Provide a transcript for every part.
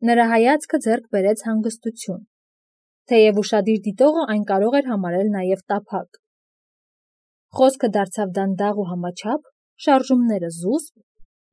Նրա հայացքը ձեռք բերեց հանգստություն, թեև ուշադիր դիտողը այն կարող էր համարել նաև տափակ։ Խոսքը դարձավ դանդաղ ու համաչափ, շարժումները զուսպ,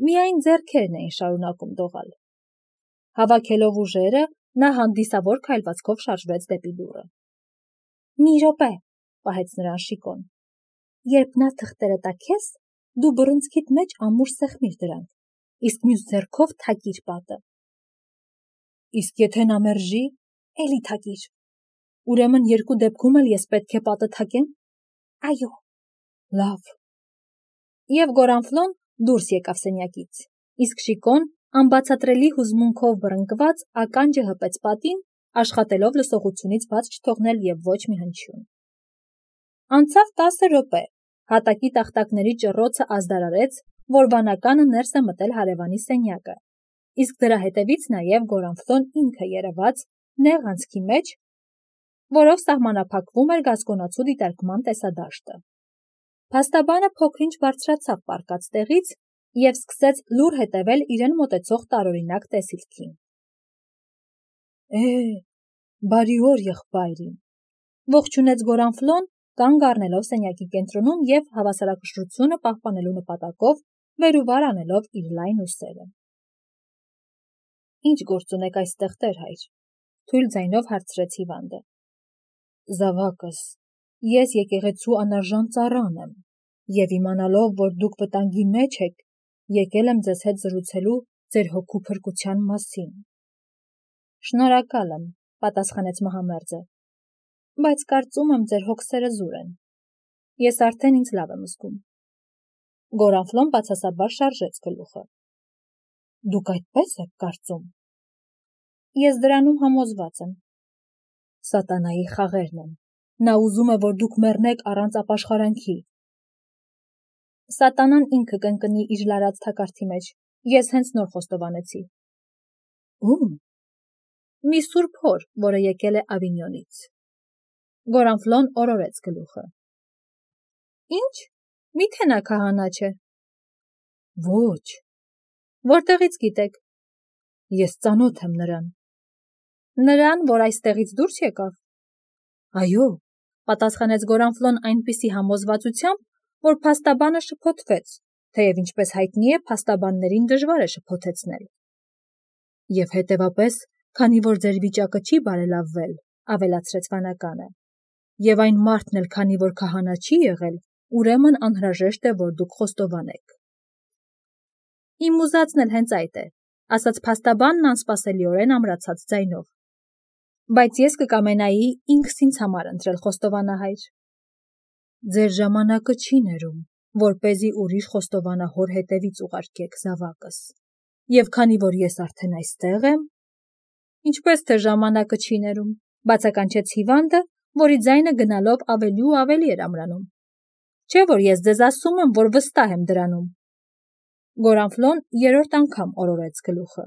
միայն ձեռքերն էին շարունակում դողալ։ Հավաքելով ուժերը, նա հանդիսավոր քայլվածքով շարժվեց դեպի դուռը։ «Մի րոպե», պահեց նրան Շիկոն։ «Երբ նա թղթերը տա քեզ, դու բռունցքիդ մեջ ամուր սեղմիր դրանք, իսկ մյուս ձեռքով թակիր պատը»։ «Իսկ եթե նա մերժի, էլի թակիր»։ «Ուրեմն երկու դեպքում էլ ես պետք է պատը թակեմ»։ «Այո»։ «Լավ»։ Եվ Գորանֆլոն դուրս եկավ սենյակից, իսկ Շիկոն, անբացատրելի հուզմունքով բռնկված, ականջը հպեց պատին, աշխատելով լսողությունից բաց չթողնել և ոչ մի հնչյուն։ Անցավ 10 րոպե, հատակի տախտակների ճռռոցը ազդարարեց, որ վանականը ներս է մտել հարևանի սենյակը, իսկ դրա հետևից նաև Գորանֆլոն ինքը երևաց, նեղ անցքի մեջ, որով սահմանափակվում էր գասկոնացու դիտարկման տեսադաշտը։ Փաստաբանը փոքր-ինչ բարձրացավ պառկած տեղից և սկսեց լուռ հետևել իրեն մոտեցող տարօրինակ տեսիլքին։ Բարի օր, եղբայրին, ողջունեց Գորանֆլոն, կանգ առնելով սենյակի կենտրոնում և հավասարակշռությունը պահպանելու նպատակով վեր ու վար անելով իր լայն ուսերը։ Ինչ գործ ունեք այստեղ, տեր-հայր, թույլ ձայնով հարցրեց հիվանդը։ Զավակս, ես եկեղեցու անարժան ծառան եմ, և իմանալով, որ դուք վտանգի մեջ եք, եկել եմ ձեզ հետ զրուցելու ձեր հոգու փրկության մասին։ Շնորհակալ եմ, պատասխանեց մահամերձը, բայց կարծում եմ ձեր հոգսերը զուր են։ Ես արդեն ինձ լավ եմ զգում։ Գորանֆլոն բացասաբար շարժեց գլուխը։ Դուք այդպես եք կարծում։ Ես դրանում համոզված եմ։ Սատանայի խաղերն են։ Նա ուզում է, որ դուք մեռնեք առանց ապաշխարանքի։ Սատանան ինքը կընկնի իր լարած թակարդի մեջ։ Ես հենց նոր խոստովանեցի։ Ում։ Մի սուրբ հոր, որը եկել է Ավինյոնից։ Գորանֆլոն օրորեց գլուխը։ Ինչ։ Միթե նա քահանա չէ։ Ոչ։ Որտեղից գիտեք։ Ես ծանոթ եմ նրան։ Նրան, որ այստեղից դուրս եկավ։ Այո, պատասխանեց Գորանֆլոն այնպիսի համոզվածությամբ, որ փաստաբանը շփոթվեց, թեև ինչպես հայտնի է, փաստաբաններին դժվար է շփոթեցնել։ Եվ հետևապես, քանի որ ձեր վիճակը չի բարելավվել, ավելացրեց վանականը, եւ այն մարդն էլ քանի որ քահանա չի եղել, ուրեմն անհրաժեշտ է, որ դուք խոստովանեք։ Իմ ուզածն էլ հենց այդ է, ասաց փաստաբանն անսպասելիորեն ամրացած ձայնով։ Բայց ես կկամենայի ինքս ինձ համար ընտրել խոստովանահայր։ Ձեր ժամանակը չի ներում, որպեսզի ուրիշ խոստովանահոր հետևից ուղարկեք, զավակս։ Եվ քանի որ ես արդեն այստեղ եմ, ինչպես թե ժամանակը չի ներում, բացականչեց հիվանդը, որի ձայնը գնալով ավելի ու ավելի էր ամրանում։ Չէ՞ որ ես ձեզ ասում եմ, որ վստահ եմ դրանում։ Գորանֆլոն երրորդ անգամ օրորեց գլուխը։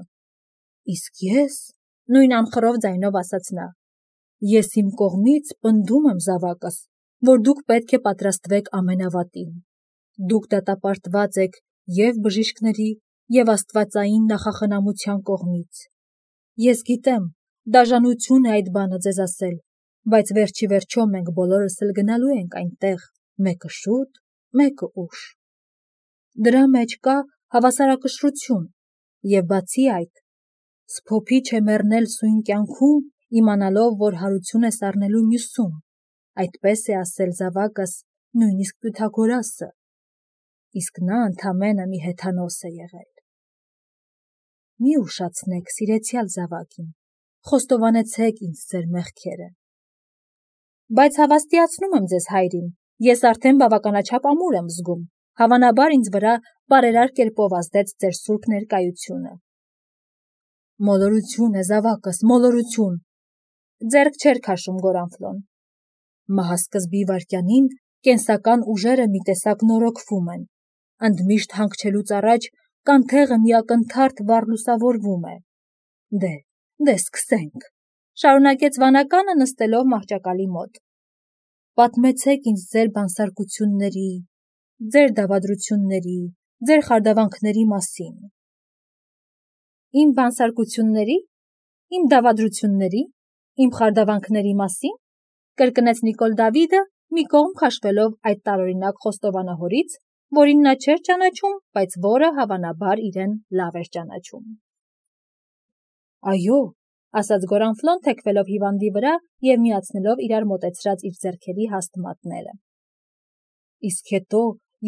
Իսկ ես, նույն անխռով ձայնով ասաց նա, ես իմ կողմից պնդում եմ, զավակս, որ դուք պետք է պատրաստվեք ամենավատին։ Դուք դատապարտված եք և բժիշկների, և աստվածային նախախնամության կողմից։ Ես գիտեմ, դաժանություն է այդ բանը ձեզ ասել, բայց վերջի վերջո մենք բոլորս էլ գնալու ենք այնտեղ, մեկը շուտ, մեկը ուշ։ Դրա մեջ կա հավասարակշռություն, և բացի այդ, սփոփիչ է մեռնել սույն կյանքում, իմանալով, որ հարություն է սառնելու մյուսում, այդպես է ասել զավակս նույնիսկ Պյութագորասը, իսկ նա ընդամենը մի հեթանոս է եղել։ Մի ուշացնեք, սիրեցյալ զավակին, խոստովանեցեք ինձ ձեր մեղքերը։ Բայց հավաստիացնում եմ ձեզ, հայրին, ես արդեն բավականաչափ ամուր եմ զգում, հավանաբար ինձ վրա բարերար կերպով ազդեց ձեր սուրբ ներկայությունը։ Մոլորություն է, զավակս, մոլորություն։ Ձեռք չէր քաշում Գորանֆլոն։ Մահասկզբի վայրկյանին կենսական ուժերը մի տեսակ նորոգվում են, ընդմիշտ հանգչելուց առաջ կանթեղը մի ակնթարթ վառ լուսավորվում է։ Դե սկսենք, շարունակեց վանականը նստելով մահճակալի մոտ։ Պատմեցեք ինձ ձեր բանսարկությունների, ձեր դավադրությունների, ձեր խարդավանքների մասին։ Իմ բանսարկությունների, Իմ դավադրությունների, իմ խարդավանքների մասին, կրկնեց Նիկոլ Դավիդը, մի կողմ քաշվելով այդ տարօրինակ խոստովանահորից, որին նա չէր ճանաչում, բայց որը հավանաբար իրեն լավ էր ճանաչում։ Այո, ասաց Գորանֆլոն, թեքվելով հիվանդի վրա և միացնելով իրար մոտեցրած իր ձեռքերի հաստ մատները։ Իսկ հետո,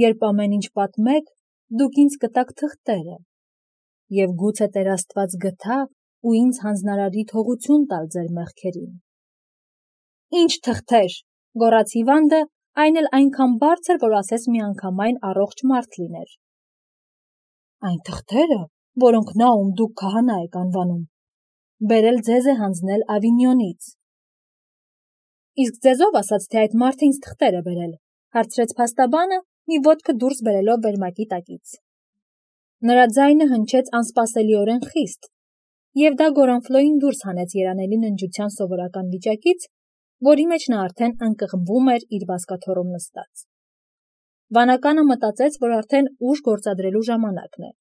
երբ ամեն ինչ պատմեք, դուք ինձ կտաք թղթերը, և գուցե Տեր Աստված գթա ու ինձ հանձնարարի թողություն տալ ձեր մեղքերին։ Ինչ թղթեր, գոռաց հիվանդը, այն էլ այնքան բարձր, որ ասես միանգամայն առողջ մարդ լիներ։ Այն թղթերը, որոնք նա, ում դուք քահանա եք անվանում, բերել ձեզ է հանձնել Ավինյոնից։ Իսկ ձեզով ասաց, թե այդ մարդը ինձ թղթեր է բերել, հարցրեց փաստաբանը, մի ոտքը դուրս բերելով վերմակի տակից։ Նրա ձայնը հնչեց անսպասելիորեն խիստ, և դա Գորանֆլոյին դուրս հանեց երանելի ննջության սովորական վիճակից, որի մեջ նա արդեն ընկղմվում էր իր բազկաթոռում նստած։ Վանականը մտածեց, որ արդեն ուժ գործադրելու ժամանակն է։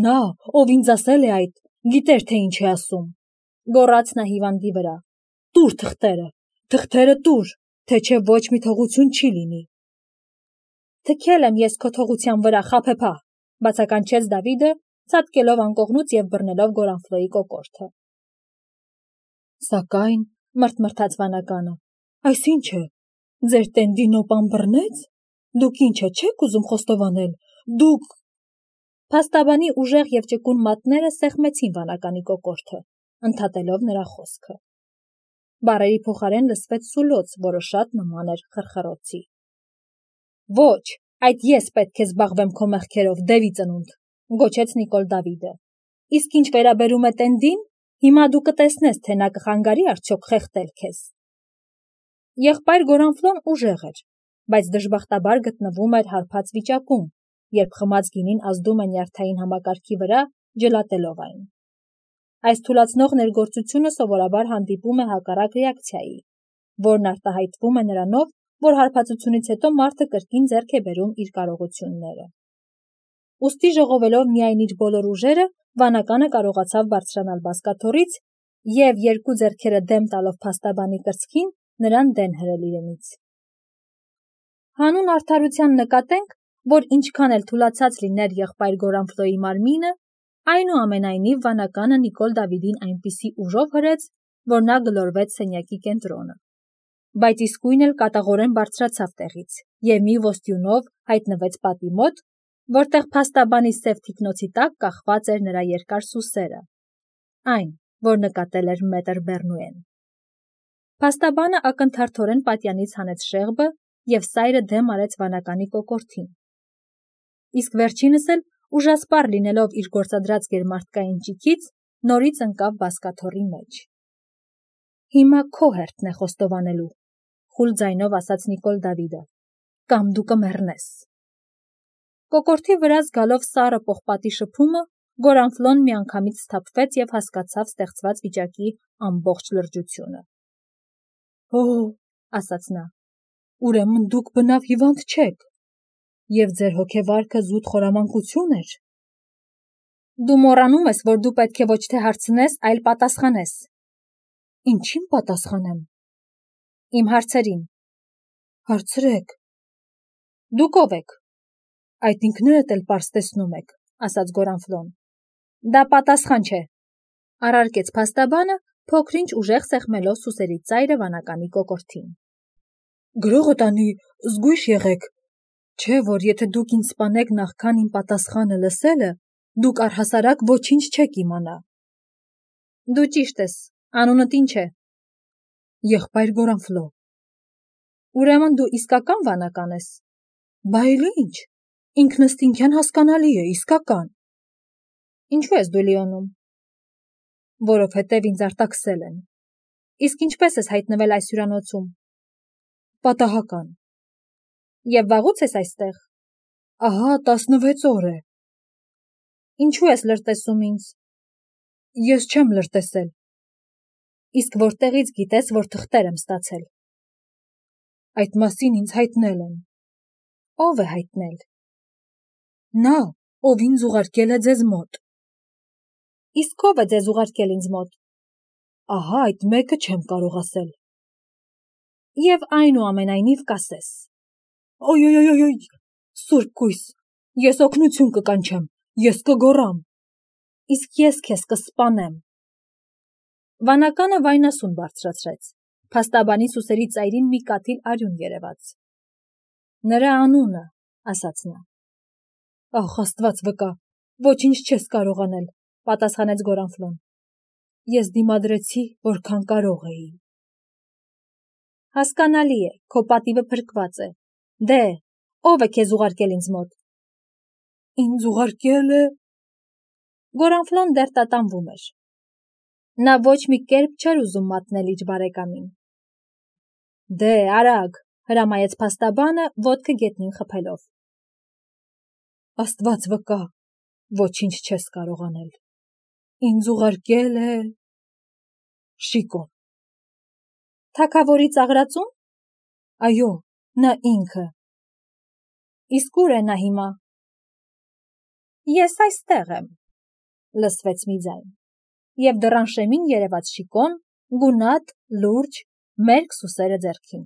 Նա, ով ինձ ասել է այդ, գիտեր, թե ինչ է ասում, գոռաց նա հիվանդի վրա։ Տուր թղթերը տուր, թե չէ ոչ մի թողություն չի լինի։ Թքել եմ ես քո թողության վրա, խաբեբա, բացականչեց Դավիդը, ցատկելով անկողնուց և բռնելով Գորանֆլոյի կոկորդը։ Սակայն, մրթմրթաց վանականը, այսինչ է, ձեր տենդի նոպան բռնեց, դուք ինչը չեք ուզում խոստովանել, դուք… Փաստաբանի ուժեղ և ճկուն մատները սեղմեցին վանականի կոկորդը, ընդհատելով նրա խոսքը։ Բառերի փոխարեն լսվեց սուլոց, որը շատ նման էր խրխրոցի։ Ոչ, այդ ես պետք է զբաղվեմ քո մեղքերով, դևի ծնունդ, գոչեց Նիկոլ Դավիդը։ Իսկ ինչ վերաբերում է տենդին, հիմա դու կտեսնես, թե նա կխանգարի արդյոք խեղդել քեզ։ Եղբայր Գորանֆլոն ուժեղ էր, բայց դժբախտաբար գտնվում էր հարբած վիճակում, երբ խմած գինին ազդում է նյարդային համակարգի վրա, ջլատելով այն։ Այս թուլացնող ներգործությունը սովորաբար հանդիպում է հակառակ ռեակցիայի, որն արտահայտվում է նրանով, որ հարբածությունից հետո մարդը կրկին ձեռք է բերում իր կարողությունները։ Ուստի ժողովելով միայն իր բոլոր ուժերը, վանականը կարողացավ բարձրանալ բազկաթոռից և երկու ձեռքերը դեմ տալով փաստաբանի կրծքին, նրան դեն հրել իրենից։ Հանուն արդարության նկատենք, որ ինչքան էլ թուլացած լիներ եղբայր Գորանֆլոյի մարմինը, այնուամենայնիվ վանականը Նիկոլ Դավիդին այնպիսի ուժով հրեց, որ նա գլորվեց սենյակի կենտրոնը, բայց իսկույն էլ կատաղորեն բարձրացավ տեղից և մի ոստյունով հայտնվեց պատի մոտ, որտեղ փաստաբանի սև թիկնոցի տակ կախված էր նրա երկար սուսերը, այն, որ նկատել էր մետր Բեռնուեն։ Փաստաբանը ակնթարթորեն պատյանից հանեց շեղբը և սայրը դեմ արեց վանականի կոկորդին։ Իսկ վերջինս էլ, ուժասպառ լինելով իր գործադրած գերմարդկային ճիգից, նորից ընկավ բազկաթոռի մեջ։ Հիմա քո հերթն է խոստովանելու, խուլ ձայնով ասաց Նիկոլ Դավիդը, կամ դու կմեռնես։ Կոկորդի վրա զգալով սառը պողպատի շփումը, Գորանֆլոն միանգամից սթափվեց և հասկացավ ստեղծված վիճակի ամբողջ լրջությունը։ Օ, ասաց նա, ուրեմն դուք բնավ հիվանդ չեք, և ձեր հոգեվարքը զուտ խորամանկություն էր։ Դու մոռանում ես, որ դու պետք է ոչ թե հարցնես, այլ պատասխանես։ Ինչին պատասխանեմ։ Իմ հարցերին։ Հարցրեք։ Դուք ով եք։ Այդ ինքներդ էլ պարզ տեսնում եք, ասաց Գորանֆլոն։ Դա պատասխան չէ, առարկեց փաստաբանը, փոքրինչ ուժեղ սեղմելով սուսերի ծայրը վանականի կոկորդին։ Գրողը տանի, զգույշ եղեք, չէ, որ եթե դուք ինձ սպանեք նախքան իմ պատասխանը լսելը, դուք առհասարակ ոչինչ չեք իմանա։ Դու ճիշտ ես, անունդ ինչ է։ Եղբայր Գորանֆլո։ Ուրեմն դու իսկական վանական ես։ Բա էլ ինչ, ինքնըստինքյան հասկանալի է, իսկական։ Ինչու ես դու լիոնում։ Որովհետև ինձ արտաքսել են։ Իսկ ինչպես ես հայտնվել այս հյուրանոցում։ Պատահական։ Եվ վաղուց ես այստեղ։ Ահա 16 օր է։ Ինչու ես լրտեսում ինձ։ Ես չեմ լրտեսել։ Իսկ որտեղից գիտես, որ թղթեր եմ ստացել։ Այդ մասին ինձ հայտնել են։ Ո՞վ է հայտնել։ Նա, ով ինձ ուղարկել է ձեզ մոտ։ Իսկ ով է ձեզ ուղարկել ինձ մոտ։ Ահա այդ մեկը չեմ կարող ասել։ Եվ այնուամենայնիվ կասես։ Օյ, Սուրբ Գույս, ես օգնություն կկանչեմ, ես կգոռամ։ Իսկ ես քեզ կսպանեմ։ Վանականը վայնասուն բարձրացրեց։ Փաստաբանի սուսերի ծայրին մի կաթիլ արյուն երևաց։ Նրա անունը, ասաց նա։ Ախ, Աստված վկա, ոչինչ չես կարող անել, պատասխանեց Գորանֆլոն։ Ես դիմադրեցի, որքան կարող էի։ Հասկանալի է, քո պատիվը փրկված է։ Դե, ով է քեզ ուղարկել ինձ մոտ։ Ինձ ուղարկել է։ Գորանֆլոն դեռ տատանվում էր։ Նա ոչ մի կերպ չէր ուզում մատնել իր բարեկամին։ Դե, արագ, հրամայեց փաստաբանը, ոտքը գետնին խփելով։ Աստված վկա, ոչինչ չես կարող անել։ Ինձ ուղարկել է Շիկոն։ Թագավորի ծաղրածո՞ւն։ Այո, նա ինքը։ Իսկ ուր է նա հիմա։ Ես այստեղ եմ, լսվեց մի ձայն, և դռան շեմին երևաց Շիկոն, գունատ, լուրջ, մերկ սուսերը ձեռքին։